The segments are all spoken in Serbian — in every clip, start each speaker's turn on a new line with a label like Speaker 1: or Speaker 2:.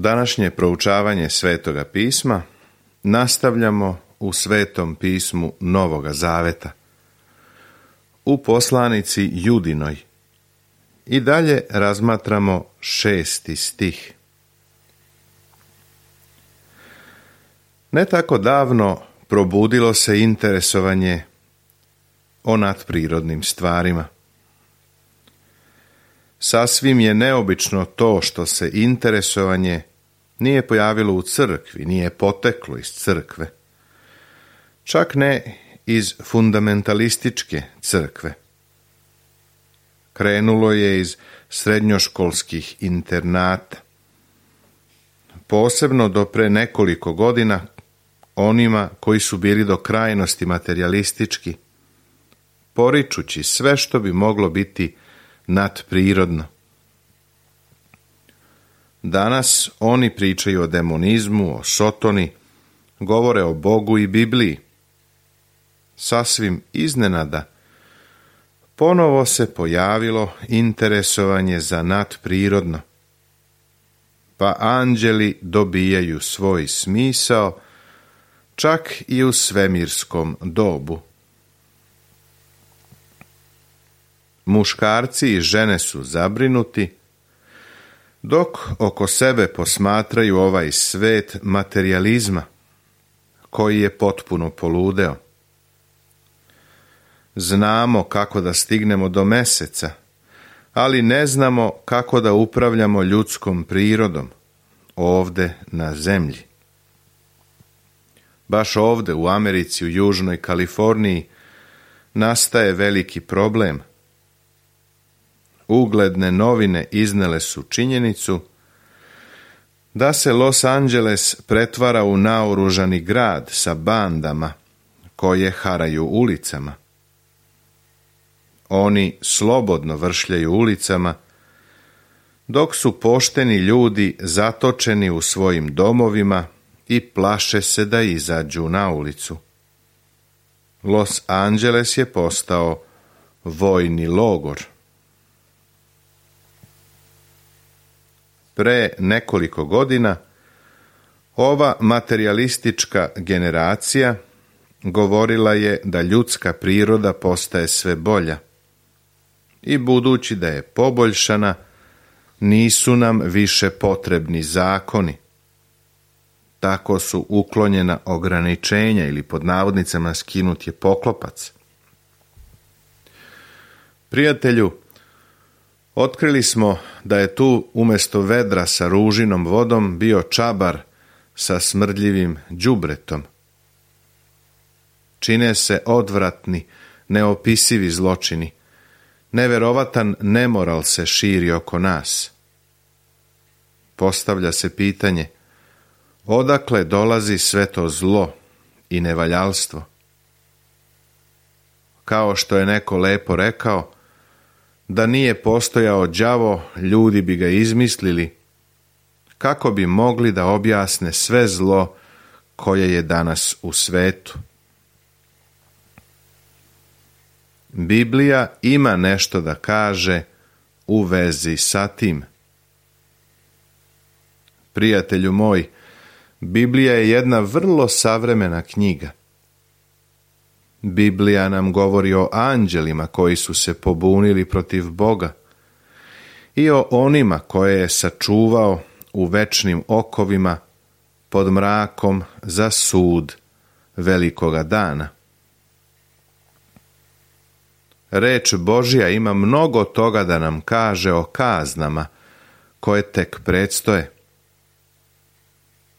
Speaker 1: Današnje proučavanje Svetoga pisma nastavljamo u Svetom pismu Novoga Zaveta, u poslanici Judinoj, i dalje razmatramo 6. stih. Ne tako davno probudilo se interesovanje o nadprirodnim stvarima. Sasvim je neobično to što se interesovanje nije pojavilo u crkvi, nije poteklo iz crkve, čak ne iz fundamentalističke crkve. Krenulo je iz srednjoškolskih internata. Posebno do pre nekoliko godina onima koji su bili do krajnosti materijalistički, poričući sve što bi moglo biti nadprirodno. Danas oni pričaju o demonizmu, o sotoni, govore o Bogu i Bibliji. Sasvim iznenada ponovo se pojavilo interesovanje za nadprirodno, pa anđeli dobijaju svoj smisao čak i u svemirskom dobu. Muškarci i žene su zabrinuti, dok oko sebe posmatraju ovaj svet materijalizma, koji je potpuno poludeo. Znamo kako da stignemo do meseca, ali ne znamo kako da upravljamo ljudskom prirodom, ovde na zemlji. Baš ovde u Americi, u Južnoj Kaliforniji, nastaje veliki problem. Ugledne novine iznele su činjenicu da se Los Angeles pretvara u naoružani grad sa bandama koje haraju ulicama. Oni slobodno vršljaju ulicama, dok su pošteni ljudi zatočeni u svojim domovima i plaše se da izađu na ulicu. Los Angeles je postao vojni logor. Pre nekoliko godina ova materijalistička generacija govorila je da ljudska priroda postaje sve bolja i budući da je poboljšana, nisu nam više potrebni zakoni. Tako su uklonjena ograničenja ili pod navodnicama skinut je poklopac. Prijatelju, otkrili smo da je tu umjesto vedra sa ružinom vodom bio čabar sa smrdljivim đubretom. Čine se odvratni, neopisivi zločini. Neverovatan nemoral se širi oko nas. Postavlja se pitanje, odakle dolazi sve to zlo i nevaljalstvo? Kao što je neko lepo rekao, da nije postojao đavo, ljudi bi ga izmislili, kako bi mogli da objasne sve zlo koje je danas u svetu. Biblija ima nešto da kaže u vezi sa tim. Prijatelju moj, Biblija je jedna vrlo savremena knjiga. Biblija nam govori o anđelima koji su se pobunili protiv Boga i o onima koje je sačuvao u večnim okovima pod mrakom za sud velikoga dana. Reč Božja ima mnogo toga da nam kaže o kaznama koje tek predstoje.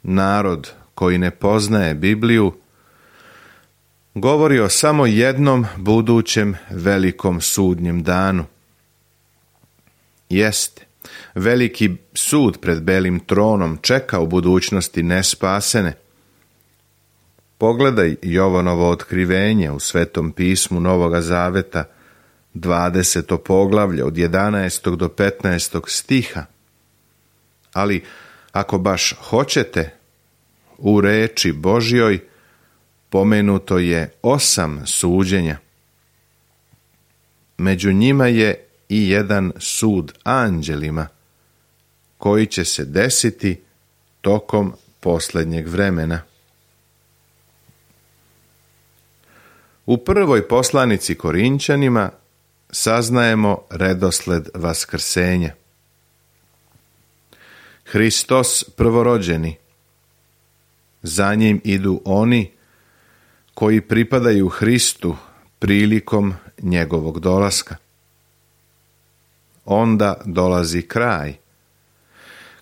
Speaker 1: Narod koji ne poznaje Bibliju govori o samo jednom budućem velikom sudnjem danu. Jeste, veliki sud pred belim tronom čeka u budućnosti nespasene. Pogledaj Jovanovo otkrivenje u Svetom pismu Novoga Zaveta, 20. poglavlje od 11. do 15. stiha. Ali ako baš hoćete, u reči Božjoj pomenuto je 8 suđenja. Među njima je i jedan sud anđelima, koji će se desiti tokom posljednjeg vremena. U prvoj poslanici Korinćanima saznajemo redosled vaskrsenja. Hristos prvorođeni, za njim idu oni koji pripadaju Hristu prilikom njegovog dolaska. Onda dolazi kraj,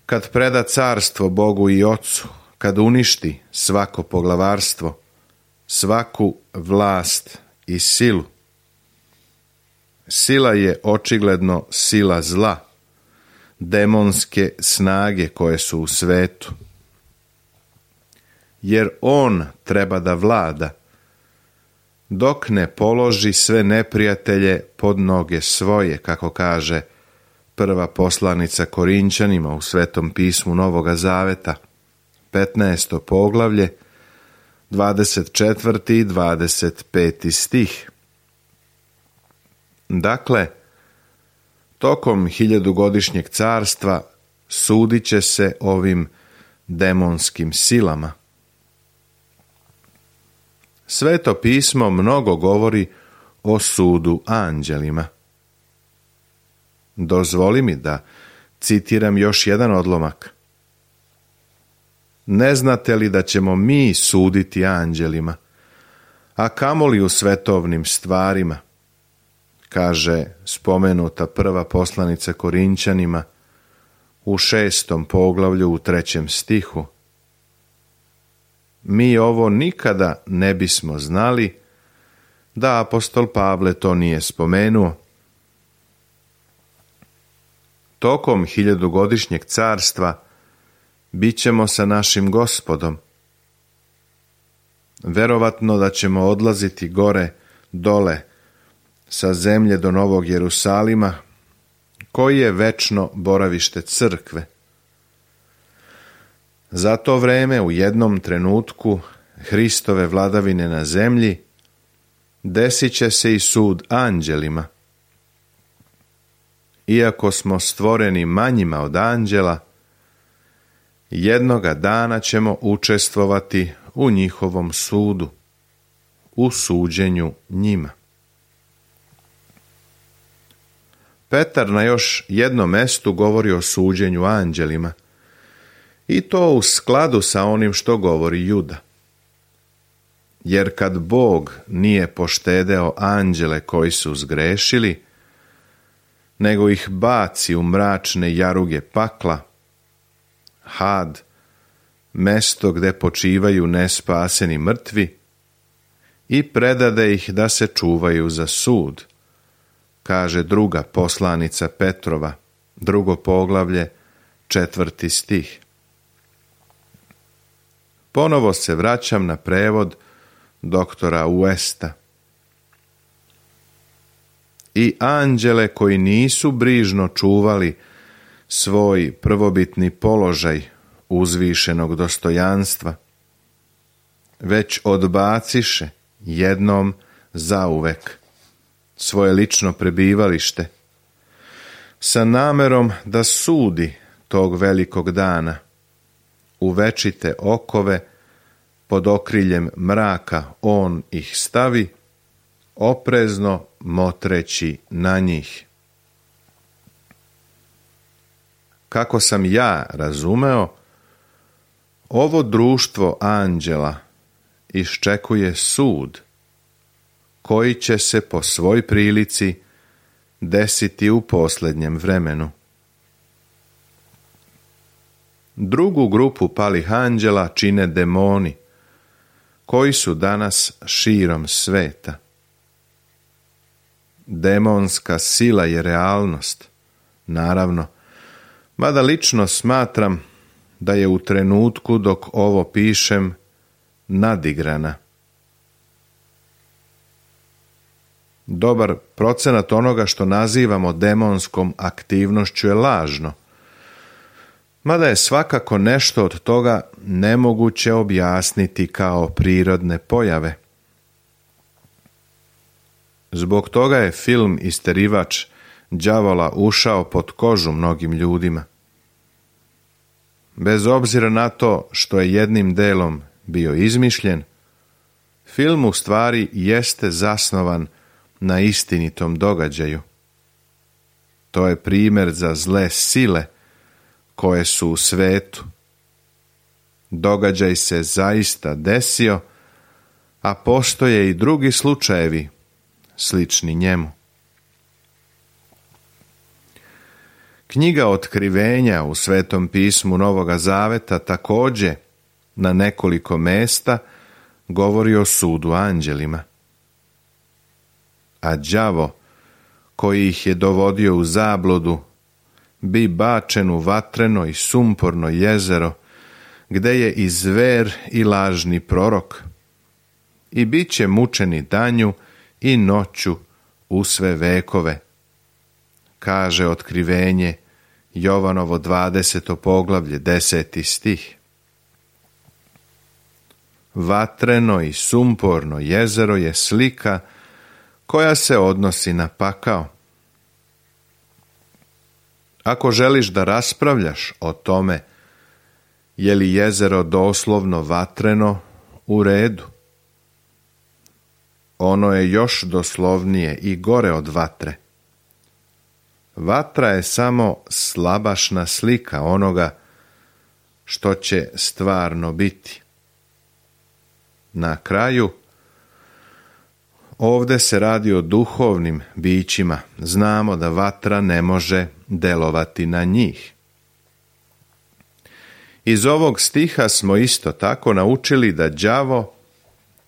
Speaker 1: kad preda carstvo Bogu i Ocu, kad uništi svako poglavarstvo, svaku vlast i silu. Sila je očigledno sila zla, demonske snage koje su u svetu. Jer on treba da vlada, dok ne položi sve neprijatelje pod noge svoje, kako kaže prva poslanica Korinćanima u Svetom pismu Novoga Zaveta, 15. poglavlje, 24. i 25. stih. Dakle, tokom 1000-godišnjeg carstva sudit će se ovim demonskim silama. Sveto pismo mnogo govori o sudu anđelima. Dozvoli mi da citiram još jedan odlomak. Ne znate li da ćemo mi suditi anđelima, a kamoli u svetovnim stvarima, kaže spomenuta prva poslanica Korinćanima u 6. poglavlju u 3. stihu. Mi ovo nikada ne bismo znali da apostol Pavle to nije spomenuo. Tokom 1000-godišnjeg carstva bit ćemo sa našim Gospodom. Verovatno da ćemo odlaziti gore, dole, sa zemlje do Novog Jerusalima, koji je večno boravište crkve. Za to vreme u jednom trenutku Hristove vladavine na zemlji desit će se i sud anđelima. Iako smo stvoreni manjima od anđela, jednoga dana ćemo učestvovati u njihovom sudu, u suđenju njima. Petar na još jednom mestu govori o suđenju anđelima, i to u skladu sa onim što govori Juda. Jer kad Bog nije poštedeo anđele koji su zgrešili, nego ih baci u mračne jaruge pakla, had, mesto gde počivaju nespaseni mrtvi, i predade ih da se čuvaju za sud, kaže druga poslanica Petrova, 2. poglavlje, 4. stih. Ponovo se vraćam na prevod doktora Uesta. I anđele koji nisu brižno čuvali svoj prvobitni položaj uzvišenog dostojanstva, već odbaciše jednom zauvek svoje lično prebivalište, sa namerom da sudi tog velikog dana, u večite okove pod okriljem mraka on ih stavi, oprezno motreći na njih. Kako sam ja razumeo, ovo društvo anđela iščekuje sud, koji će se po svoj prilici desiti u posljednjem vremenu. Drugu grupu palih anđela čine demoni, koji su danas širom sveta. Demonska sila je realnost, naravno, mada lično smatram da je u trenutku dok ovo pišem nadigrana. Dobar procenat onoga što nazivamo demonskom aktivnošću je lažno, mada je svakako nešto od toga nemoguće objasniti kao prirodne pojave. Zbog toga je film Isterivač đavola ušao pod kožu mnogim ljudima. Bez obzira na to što je jednim delom bio izmišljen, film u stvari jeste zasnovan na istinitom događaju. To je primjer za zle sile koje su u svetu. Događaj se zaista desio, a postoje i drugi slučajevi slični njemu. Knjiga Otkrivenja u Svetom pismu Novoga Zaveta također na nekoliko mesta govori o sudu anđelima. A đavo koji ih je dovodio u zabludu bi bačen u vatreno i sumporno jezero, gde je i zver i lažni prorok, i bit će mučeni danju i noću u sve vekove, kaže Otkrivenje, Jovanovo 20. poglavlje, 10. stih. Vatreno i sumporno jezero je slika koja se odnosi na pakao. Ako želiš da raspravljaš o tome je li jezero doslovno vatreno, u redu. Ono je još doslovnije i gore od vatre. Vatra je samo slabašna slika onoga što će stvarno biti. Na kraju, ovdje se radi o duhovnim bićima. Znamo da vatra ne može delovati na njih. Iz ovog stiha smo isto tako naučili da đavo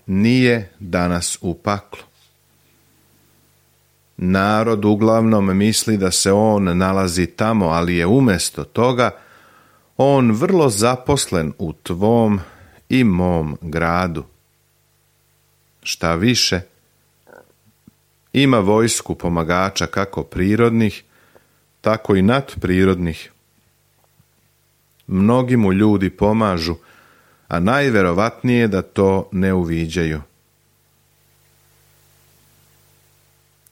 Speaker 1: nije danas u paklu. Narod uglavnom misli da se on nalazi tamo, ali je umjesto toga on vrlo zaposlen u tvom i mom gradu. Šta više, ima vojsku pomagača kako prirodnih, tako i nadprirodnih. Mnogi mu ljudi pomažu, a najverovatnije da to ne uviđaju.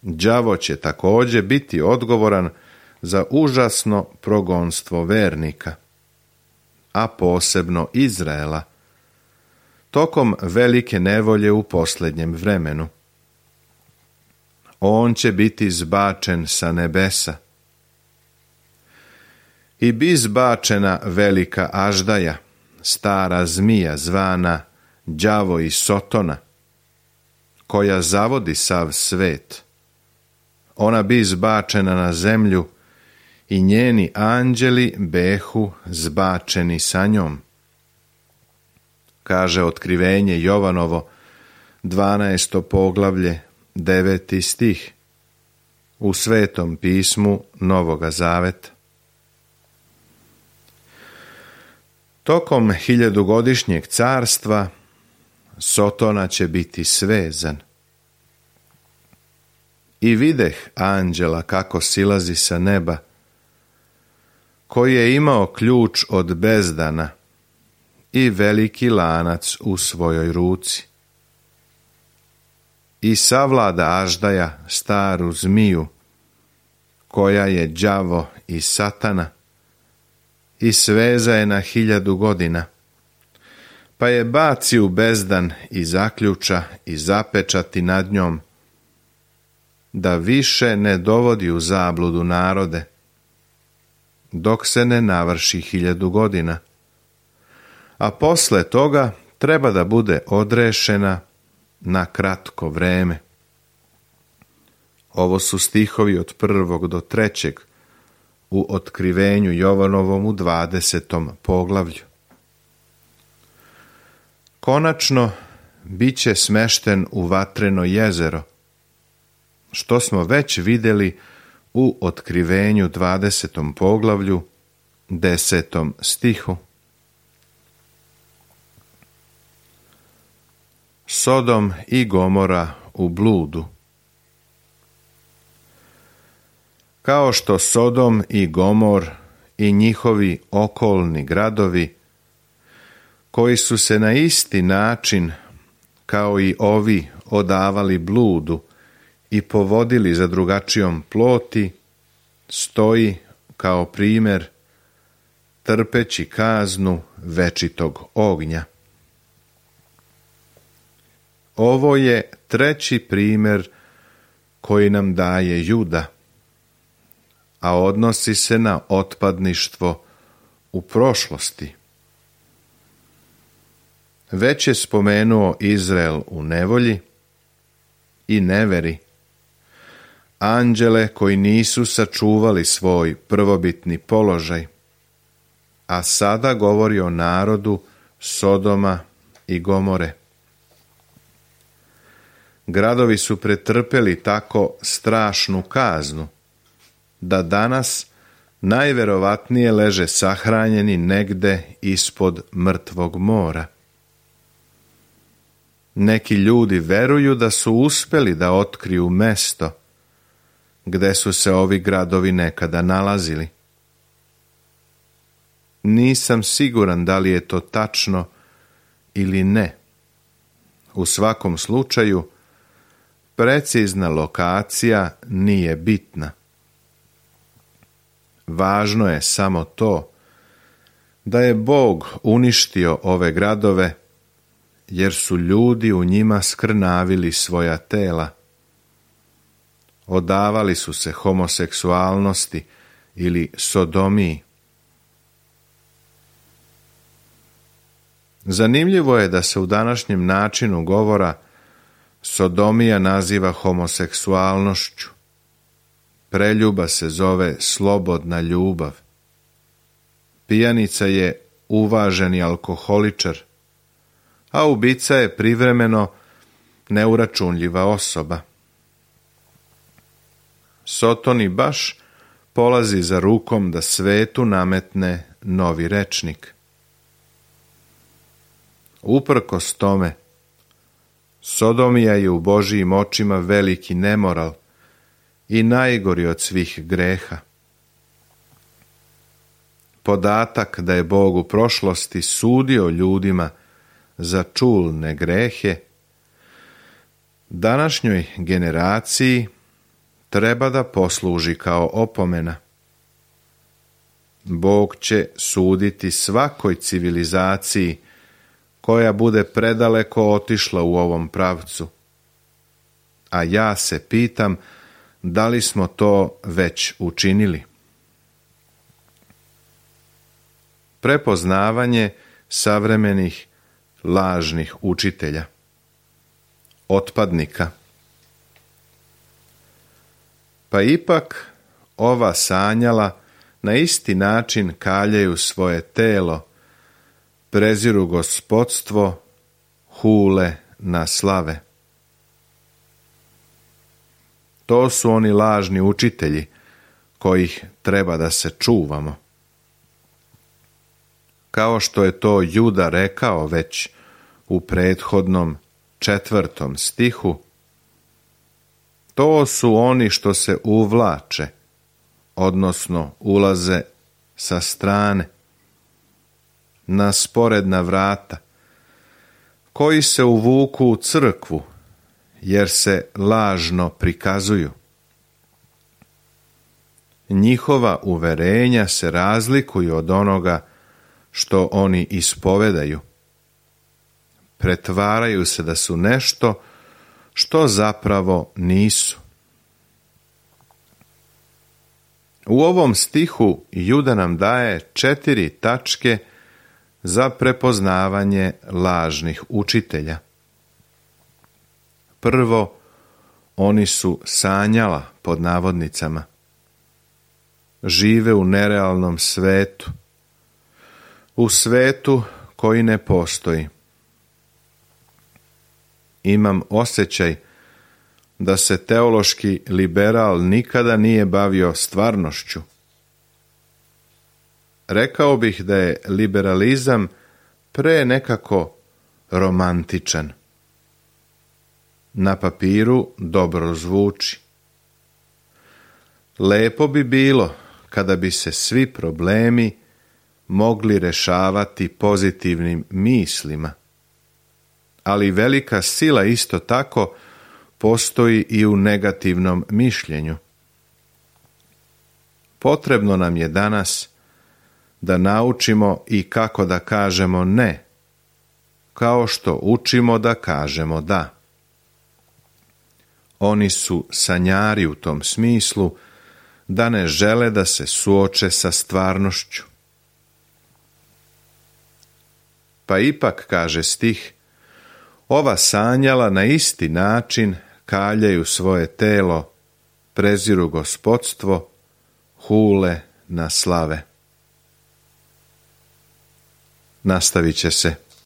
Speaker 1: Đavo će također biti odgovoran za užasno progonstvo vernika, a posebno Izraela, tokom velike nevolje u posljednjem vremenu. On će biti zbačen sa nebesa. I bi zbačena velika aždaja, stara zmija zvana đavo i Sotona, koja zavodi sav svet. Ona bi zbačena na zemlju i njeni anđeli behu zbačeni sa njom. Kaže Otkrivenje Jovanovo, 12. poglavlje, 9. stih, u Svetom pismu Novoga Zaveta. Tokom 1000-godišnjeg carstva Sotona će biti svezan. I videh anđela kako silazi sa neba, koji je imao ključ od bezdana i veliki lanac u svojoj ruci. I savlada aždaja, staru zmiju, koja je đavo i satana, i sveza je na 1000 godina, pa je baci u bezdan i zaključa i zapečati nad njom, da više ne dovodi u zabludu narode, dok se ne navrši 1000 godina, a posle toga treba da bude odrešena na kratko vreme. Ovo su stihovi od 1. do 3. u Otkrivenju Jovanovom u 20. poglavlju. Konačno, bit će smešten u vatreno jezero, što smo već vidjeli u Otkrivenju 20. poglavlju, 10. stihu. Sodom i Gomora u bludu. Kao što Sodom i Gomor i njihovi okolni gradovi, koji su se na isti način kao i ovi odavali bludu i povodili za drugačijom ploti, stoji kao primjer trpeći kaznu večitog ognja. Ovo je treći primjer koji nam daje Juda, a odnosi se na otpadništvo u prošlosti. Već je spomenuo Izrael u nevolji i neveri, anđele koji nisu sačuvali svoj prvobitni položaj, a sada govori o narodu Sodoma i Gomore. Gradovi su pretrpeli tako strašnu kaznu, da danas najverovatnije leže sahranjeni negde ispod mrtvog mora. Neki ljudi veruju da su uspeli da otkriju mesto gde su se ovi gradovi nekada nalazili. Nisam siguran da li je to tačno ili ne. U svakom slučaju, precizna lokacija nije bitna. Važno je samo to da je Bog uništio ove gradove, jer su ljudi u njima skrnavili svoja tela. Odavali su se homoseksualnosti ili sodomiji. Zanimljivo je da se u današnjem načinu govora sodomija naziva homoseksualnošću. Preljuba se zove slobodna ljubav. Pijanica je uvaženi alkoholičar, a ubica je privremeno neuračunljiva osoba. Sotoni baš polazi za rukom da svetu nametne novi rečnik. Uprkos tome, sodomija je u Božijim očima veliki nemoral i najgori od svih greha. Podatak da je Bog u prošlosti sudio ljudima za čulne grehe, današnjoj generaciji treba da posluži kao opomena. Bog će suditi svakoj civilizaciji koja bude predaleko otišla u ovom pravcu. A ja se pitam da li smo to već učinili. Prepoznavanje savremenih lažnih učitelja, otpadnika. Pa ipak ova sanjala na isti način kaljaju svoje telo, preziru gospodstvo, hule na slave. To su oni lažni učitelji kojih treba da se čuvamo. Kao što je to Juda rekao već u prethodnom 4. stihu, to su oni što se uvlače, odnosno ulaze sa strane, na sporedna vrata, koji se uvuku u crkvu, jer se lažno prikazuju. Njihova uverenja se razlikuju od onoga što oni ispovedaju. Pretvaraju se da su nešto što zapravo nisu. U ovom stihu Juda nam daje 4 tačke za prepoznavanje lažnih učitelja. Prvo, oni su sanjala, pod navodnicama. Žive u nerealnom svetu, u svetu koji ne postoji. Imam osjećaj da se teološki liberal nikada nije bavio stvarnošću. Rekao bih da je liberalizam pre nekako romantičan. Na papiru dobro zvuči. Lepo bi bilo kada bi se svi problemi mogli rešavati pozitivnim mislima, ali velika sila isto tako postoji i u negativnom mišljenju. Potrebno nam je danas da naučimo i kako da kažemo ne, kao što učimo da kažemo da. Oni su sanjari u tom smislu da ne žele da se suoče sa stvarnošću. Pa ipak, kaže stih, ova sanjala na isti način kaljaju svoje telo, preziru gospodstvo, hule na slave. Nastavit će se.